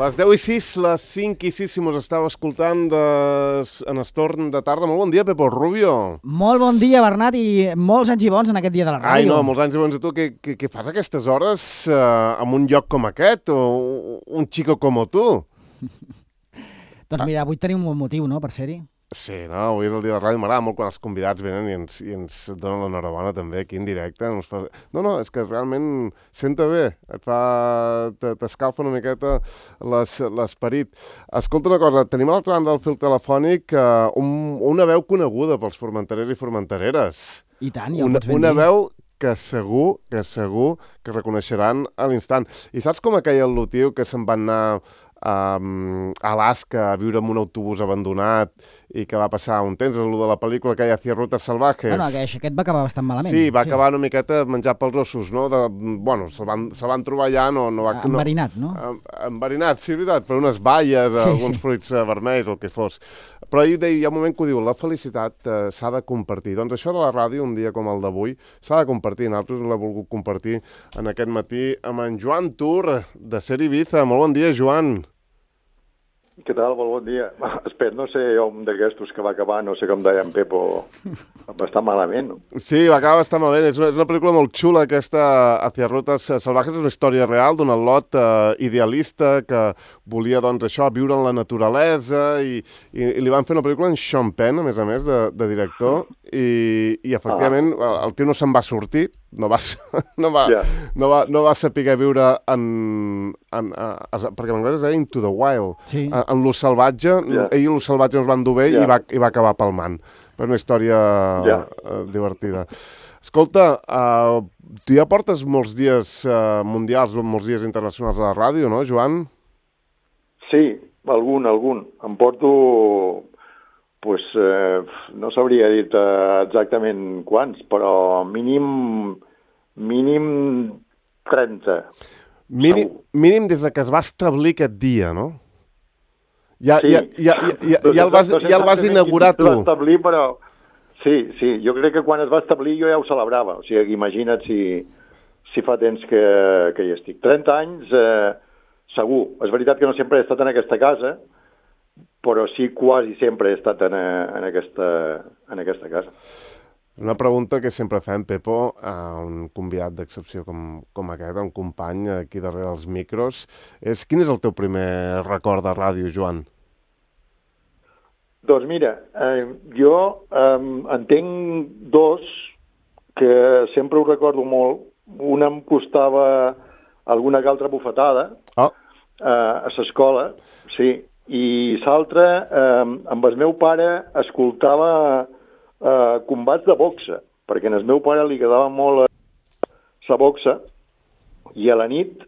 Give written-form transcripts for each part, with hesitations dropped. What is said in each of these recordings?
Les 10:06, les 5:06, si mos estàu escoltant en estorn de tarda. Molt bon dia, Pepo Rubio. Molt bon dia, Bernat, i molts anys i bons en aquest dia de la ràdio. Ai, no, molts anys i bons a tu. Què fas a aquestes hores en un lloc com aquest? O un xico com tu? Doncs mira, avui tenim un bon motiu, no?, per ser-hi. Sí, no? Avui és el dia de la ràdio. M'agrada molt quan els convidats venen i ens donen l'enhorabona també aquí en directe. No, és que realment senta bé. T'escalfa una miqueta l'esperit. Escolta una cosa, tenim a l'altra banda del fil telefònic una veu coneguda pels formenterers i formentereres. I tant, ja ho pots ben dir. Una veu que segur que reconeixeran a l'instant. I saps com aquell al·lutiu que se'n va anar a Alaska a viure en un autobús abandonat i que va passar un temps, el de la pel·lícula que hi ha Hacia Rutas Salvajes? Bueno, aquest va acabar bastant malament. Sí, va acabar una miqueta menjat pels ossos, no? Se'l van trobar allà, enverinat, no? Enverinat, sí, és veritat, per unes baies, alguns fruits vermells o el que fos. Però hi ha un moment que ho diu, la felicitat s'ha de compartir. Doncs això de la ràdio, un dia com el d'avui, s'ha de compartir. Nosaltres l'hem volgut compartir en aquest matí amb en Joan Tur, de Ser Ibiza. Molt bon dia, Joan. Què tal? Molt bon dia. Espera, no sé, un d'aquestos que va acabar, no sé com deia en Pepo, bastant malament. Sí, va acabar bastant malament. És una pel·lícula molt xula, aquesta Hacia Rutas Salvajes. És una història real d'un al·lot idealista que volia, doncs, això, viure en la naturalesa i li van fer una pel·lícula en Sean Penn, a més, de director, i efectivament, el tio no se'n va sortir, no va saber viure perquè en anglès es deia Into the Wild, sí. En lo salvatge, ell i lo salvatge no es van dur bé i va acabar palmant. Per una història divertida. Escolta, tu ja portes molts dies mundials, molts dies internacionals a la ràdio, no, Joan? Sí, algun. Em porto, no sabria dir exactament quants, però mínim 30. Mínim des que es va establir aquest dia, no? Ja el vas inaugurar tu. Però sí, jo crec que quan es va establir jo ja ho celebrava. O sigui, imagina't si fa temps que hi estic. 30 anys, segur. És veritat que no sempre he estat en aquesta casa, però sí quasi sempre he estat en aquesta casa. Una pregunta que sempre fem, Pepo, a un convidat d'excepció com aquest, un company aquí darrere els micros, és quin és el teu primer record de ràdio, Joan? Doncs mira, jo en tinc dos que sempre ho recordo molt. Una em costava alguna que altra bufetada a l'escola, sí, i l'altra, amb el meu pare escoltava combats de boxa, perquè al meu pare li agradava molt la boxa, i a la nit,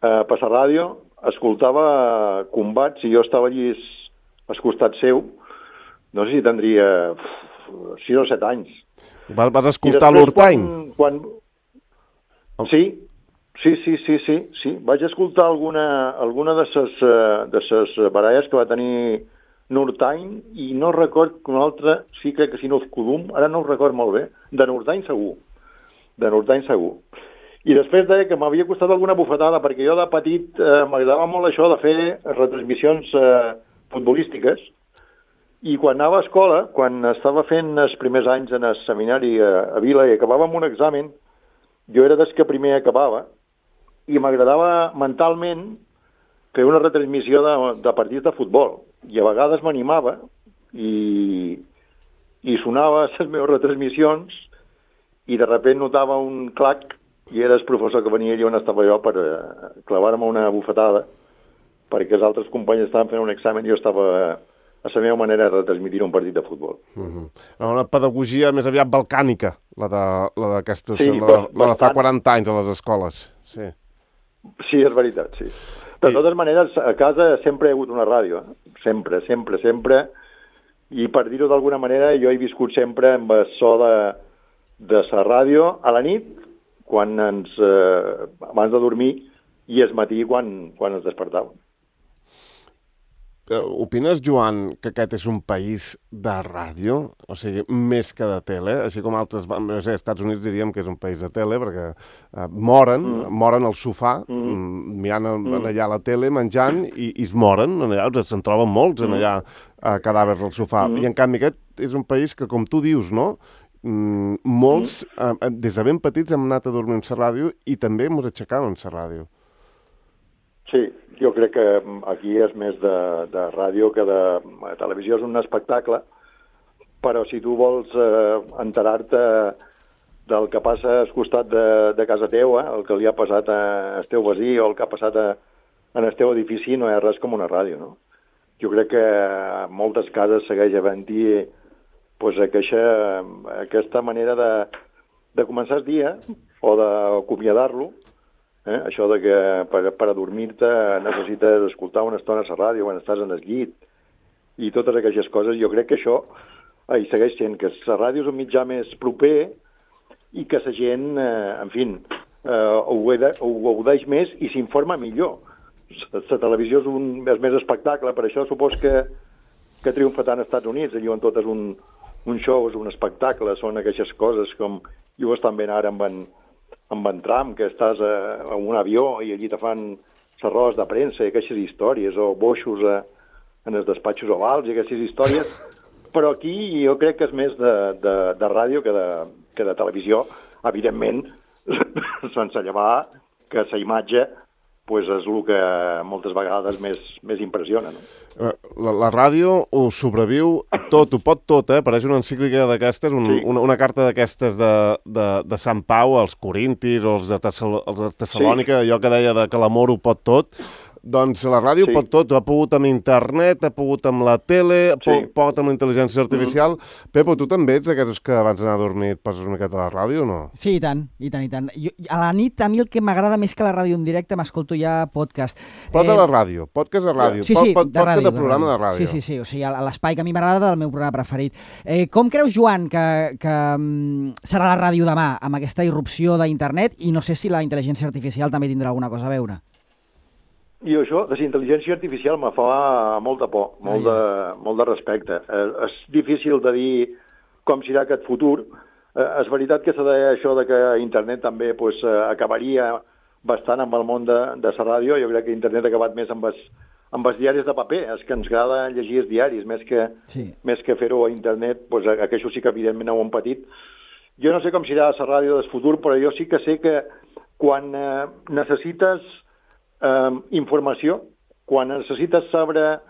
per la ràdio, escoltava combats i jo estava allí al costat seu, no sé si tindria 6 o 7 anys. Vas escoltar l'Urtain? Sí. Vaig escoltar alguna de ses baralles que va tenir Nurtain, i no record que una altra, sí, crec que si no és Codum, ara no ho record molt bé, de Nurtain segur. I després deia que m'havia costat alguna bufetada, perquè jo de petit m'agradava molt això de fer retransmissions futbolístiques, i quan anava a escola, quan estava fent els primers anys en el seminari a Vila i acabava amb un examen, jo era des que primer acabava, i m'agradava mentalment fer una retransmissió de partits de futbol. I a vegades m'animava i sonava les meves retransmissions i de sobte notava un clac i era el professor que venia allà on estava jo per clavar-me una bufetada, perquè els altres companys estaven fent un examen i jo estava a la meva manera de retransmitir un partit de futbol. Una pedagogia més aviat balcànica, la de fa 40 anys a les escoles. Sí, és veritat, sí. De totes maneres, a casa sempre hi ha hagut una ràdio, sempre, i per dir-ho d'alguna manera, jo he viscut sempre amb el so de la ràdio a la nit, abans de dormir, i al matí quan ens despertàvem. opines, Joan, que aquest és un país de ràdio? O sigui, més que de tele? Així com altres... No sé, als Estats Units diríem que és un país de tele, perquè moren al sofà, mirant allà la tele, menjant, i es moren. Allà se'n troben molts, allà, cadàvers al sofà. I, en canvi, aquest és un país que, com tu dius, no?, molts, des de ben petits, hem anat a dormir en la ràdio i també ens aixecàvem en la ràdio. Sí, jo crec que aquí és més de ràdio que de televisió, és un espectacle, però si tu vols enterar-te del que passa al costat de casa teua, el que li ha passat al teu veí o el que ha passat en el teu edifici, no és res com una ràdio, no? Jo crec que en moltes cases segueix havent-hi pues, aquesta manera de començar el dia o d'acomiadar-lo. Això de que per adormir-te necessites escoltar una estona a la ràdio quan estàs en el llit i totes aquestes coses, jo crec que això hi segueix sent, que la ràdio és un mitjà més proper i que la gent, en fi, ho gaudeix més i s'informa millor. La televisió és més espectacle, per això supos que triomfa tant als Estats Units, allò on tot és un show, és un espectacle, són aquestes coses com i ho estan veient ara amb en Trump, que estàs en un avió i allí te fan les rodes de premsa i aquestes històries, o boixos en els despatxos ovals i aquestes històries, però aquí jo crec que és més de ràdio que de televisió, evidentment, sense llevar que la imatge pues és el que moltes vegades més impressiona, no? La ràdio ho sobreviu tot, ho pot tot, Pareix una encíclica d'aquestes, una carta d'aquestes de Sant Pau als Corintis o els de Tessalònica, allò que deia que l'amor ho pot tot. Doncs la ràdio pot tot, ha pogut amb internet, ha pogut amb la tele, pot amb la intel·ligència artificial. Pepo, tu també ets d'aquests que abans d'anar a dormir et poses una miqueta a la ràdio o no? Sí, i tant, i tant, i tant. A la nit, a mi el que m'agrada més que la ràdio en directe, m'escolto ja podcast. Pot a la ràdio, podcast a ràdio, podcast de programa de ràdio. Sí, o sigui, l'espai que a mi m'agrada del meu programa preferit. Com creus, Joan, que serà la ràdio demà, amb aquesta irrupció d'internet, i no sé si la intel·ligència artificial també tindrà alguna cosa a veure? I això, de la intel·ligència artificial me fa molta por, molt de respecte. És difícil de dir com serà aquest futur. És veritat que s'ha de dir això de que internet també acabaria bastant amb el món de la ràdio. Jo crec que internet ha acabat més amb els diaris de paper. És que ens agrada llegir els diaris, més que fer-ho a internet, això sí que evidentment ho hem patit. Jo no sé com serà la ràdio del futur, però jo sí que sé que quan necessites informació, quan necessites saber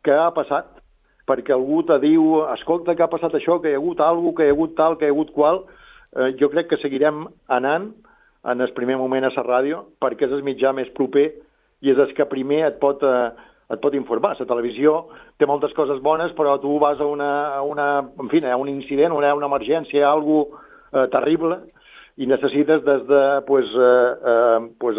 què ha passat, perquè algú te diu, escolta, que ha passat això, que hi ha hagut alguna cosa, que hi ha hagut tal, que hi ha hagut qual, jo crec que seguirem anant en el primer moment a la ràdio, perquè és el mitjà més proper i és el que primer et pot informar. La televisió té moltes coses bones, però tu vas a un incident, a una emergència, a alguna terrible, i necessites des de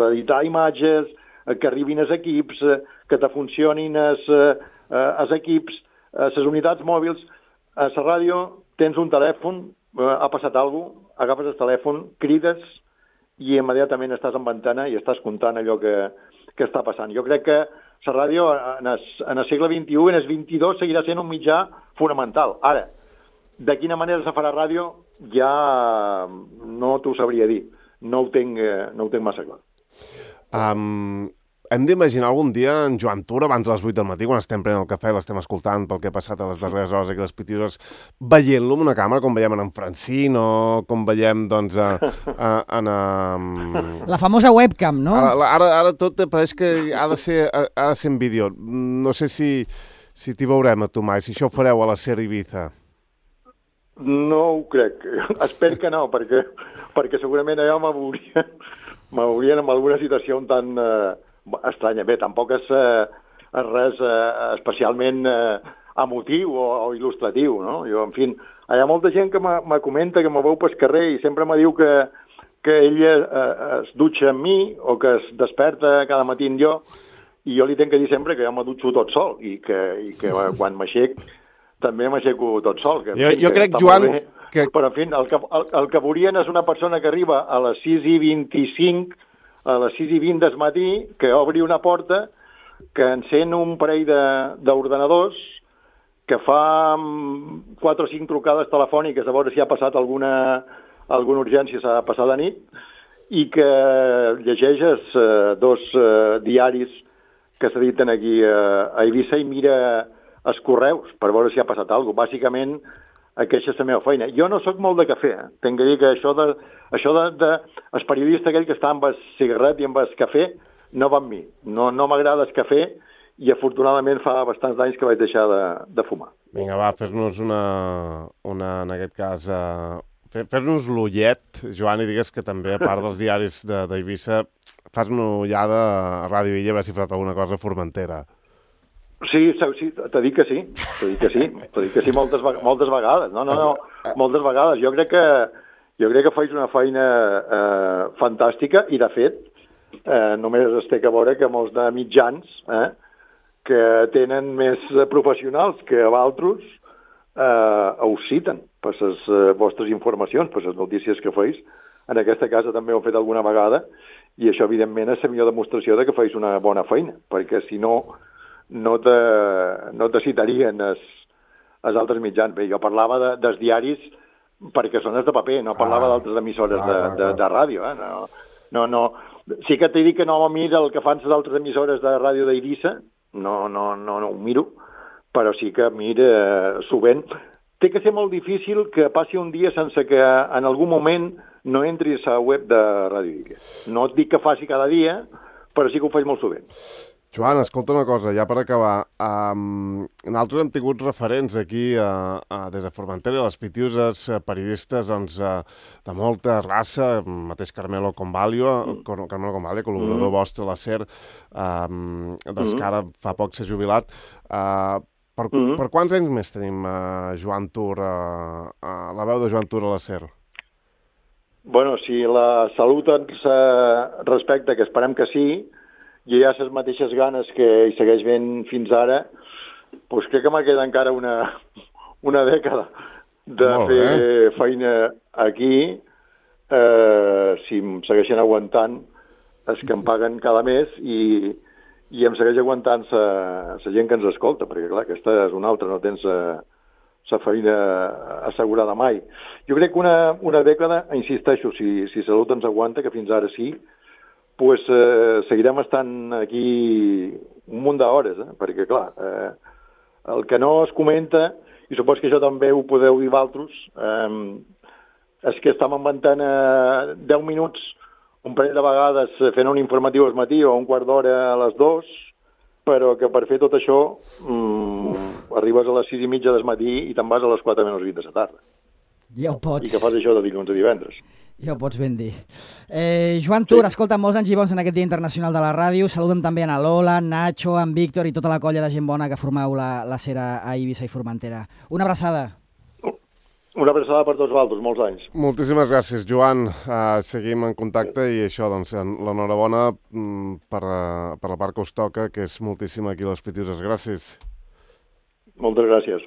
editar imatges, que arribin els equips, que te funcionin els equips, les unitats mòbils. A la ràdio tens un telèfon, ha passat alguna cosa, agafes el telèfon, crides i immediatament estàs en ventana i estàs comptant allò que està passant. Jo crec que la ràdio en el segle XXI, en el XXII, seguirà sent un mitjà fonamental. Ara, de quina manera se farà ràdio ja no t'ho sabria dir. No ho tenc massa clar. Hem d'imaginar algun dia en Joan Tura, abans de les 8 del matí, quan estem prenent el cafè, l'estem escoltant pel que ha passat a les darreres hores aquí a les Pitioses, veient-lo amb una càmera, com veiem en Francín o com veiem, doncs, la famosa webcam, no? Ara tot pareix que ha de ser en vídeo. No sé si t'hi veurem a tu mai, si això ho fareu a la SER Ibiza. No ho crec. Espero que no, perquè segurament allò m'haurien en alguna situació un tant estranya. Bé, tampoc és res especialment emotiu o il·lustratiu, no? Jo, en fi, hi ha molta gent que me comenta, que me veu pel carrer i sempre me diu que ella es dutxa amb mi o que es desperta cada matí amb jo, i jo li tenc que dir sempre que jo me dutxo tot sol i que quan m'aixec també m'aixeco tot sol. Jo crec, Joan, però, en fi, el que veurien és una persona que arriba a les 6:25, a les 6:20 del matí, que obri una porta, que encén un parell d'ordenadors, que fa 4 o 5 trucades telefòniques a veure si ha passat alguna urgència, s'ha passat de nit, i que llegeixes 2 diaris que s'editen aquí a Eivissa i mira els correus per veure si ha passat alguna cosa. Bàsicament, aquesta és la meva feina. Jo no sóc molt de cafè, Tinc que dir que això de el periodista aquell que està amb el cigarret i amb el cafè no va amb mi. No m'agrada el cafè i afortunadament fa bastants anys que vaig deixar de fumar. Vinga, va, fes-nos en aquest cas, fes-nos l'ullet, Joan, i digues que també, a part dels diaris d'Eivissa, fas una ullada a Ràdio Illa a veure si ha fet alguna cosa a Formentera. Sí, t'he dit que sí. Moltes vegades. No, moltes vegades. Jo crec que faig una feina fantàstica i, de fet, només es té que veure que molts de mitjans que tenen més professionals que altres us citen per les vostres informacions, per les notícies que feis. En aquesta casa també ho he fet alguna vegada i això, evidentment, és la millor demostració de que feis una bona feina, perquè si no te citarien els altres mitjans. Bé, jo parlava dels diaris perquè són els de paper, no parlava d'altres emissores de ràdio. No. Sí que t'he dit que no miro el que fan les altres emissores de ràdio d'Eivissa, no ho miro, però sí que mira sovint. Té que ser molt difícil que passi un dia sense que en algun moment no entris a la web de Ràdio Illa. No et dic que faci cada dia, però sí que ho faig molt sovint. Joan, escolta una cosa, ja per acabar. Nosaltres hem tingut referents aquí des de Formentera, les Pitiuses, periodistes de molta raça, mateix Carmelo Convalio, col·laborador vostre a la SER, que ara fa poc s'ha jubilat. Per quants anys més tenim Joan Tur, la veu de Joan Tur a la SER? Bueno, si la salut ens respecta, que esperem que sí, i hi ha les mateixes ganes que hi segueix ben fins ara, doncs crec que m'ha quedat encara una dècada de fer feina aquí, si em segueixen aguantant els que em paguen cada mes i em segueix aguantant la gent que ens escolta, perquè clar, aquesta és una altra, no tens la feina assegurada mai. Jo crec que una dècada, insisteixo, si salut ens aguanta, que fins ara sí, pues seguirem estant aquí un munt d'hores, perquè, clar, el que no es comenta, i supos que això també ho podeu dir vosaltres, és que estem inventant 10 minuts un parell de vegades fent un informatiu al matí o un quart d'hora a les 2, però que per fer tot això arribes a les 6:30 del matí i te'n vas a les 4:20 de la tarda. Ja ho pots. I que fas això de dilluns a divendres. Ja ho pots ben dir. Joan Tur, escolta, molts anys i bons en aquest Dia Internacional de la Ràdio. Saludem també a Lola, Nacho, en Víctor i tota la colla de gent bona que formeu la SER a Eivissa i Formentera. Una abraçada. Una abraçada per tots vosaltres, molts anys. Moltíssimes gràcies, Joan. Seguim en contacte i això, doncs, l'enhorabona per la part que us toca, que és moltíssima aquí a les Pitiuses. Gràcies. Moltes gràcies.